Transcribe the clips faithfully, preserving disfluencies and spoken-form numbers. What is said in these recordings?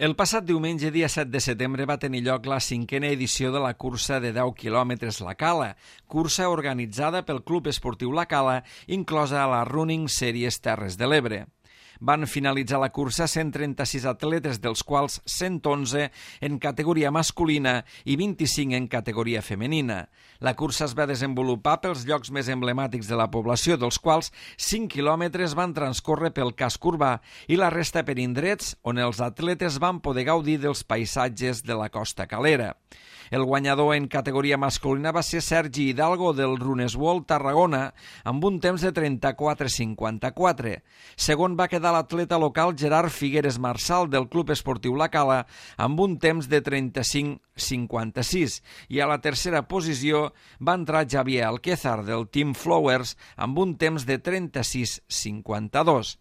El passat diumenge, dia set de setembre, va tenir lloc la cinquena edició de la cursa de deu quilòmetres La Cala, cursa organitzada pel Club Esportiu La Cala, inclosa a la Running Series Terres de l'Ebre. Van finalitzar la cursa cent trenta-sis atletes, dels quals cent onze en categoria masculina i vint-i-cinc en categoria femenina. La cursa es va desenvolupar pels llocs més emblemàtics de la població, dels quals cinc quilòmetres van transcórrer pel casc urbà i la resta per indrets on els atletes van poder gaudir dels paisatges de la costa calera. El guanyador en categoria masculina va ser Sergi Hidalgo del Runeswald Tarragona amb un temps de trenta-quatre cinquanta-quatre. Segon va quedar l'atleta local Gerard Figueres Marçal del Club Esportiu La Cala amb un temps de trenta-cinc cinquanta-sis i a la tercera posició va entrar Javier Alquézar del Team Flowers amb un temps de trenta-sis cinquanta-dos.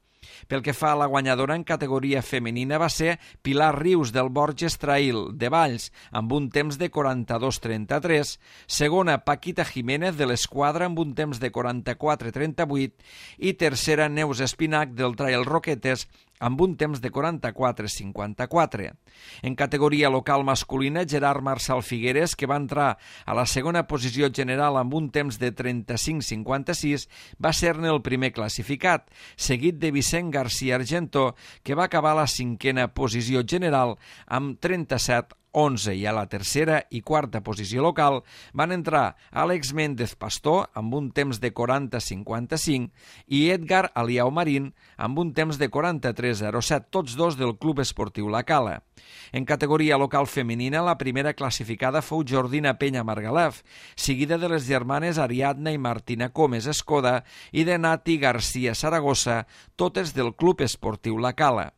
Pel que fa a la guanyadora en categoria femenina va ser Pilar Rius del Borges Trail de Valls amb un temps de quaranta-dos trenta-tres, segona Paquita Jiménez de l'Esquadra amb un temps de quaranta-quatre trenta-vuit i tercera Neus Espinac del Trail Roquetes amb un temps de quaranta-quatre cinquanta-quatre. En categoria local masculina, Gerard Marçal Figueres, que va entrar a la segona posició general amb un temps de trenta-cinc cinquanta-sis, va ser-ne el primer classificat, seguit de Vicent García Argentó, que va acabar a la cinquena posició general amb trenta-set onze, i a la tercera i quarta posició local van entrar Àlex Méndez Pastor amb un temps de quaranta cinquanta-cinc i Edgar Aliau Marín amb un temps de quaranta-tres zero set, tots dos del Club Esportiu La Cala. En categoria local femenina, la primera classificada fou Jordina Penya Margalef, seguida de les germanes Ariadna i Martina Comes Escoda i de Nati García Saragossa, totes del Club Esportiu La Cala.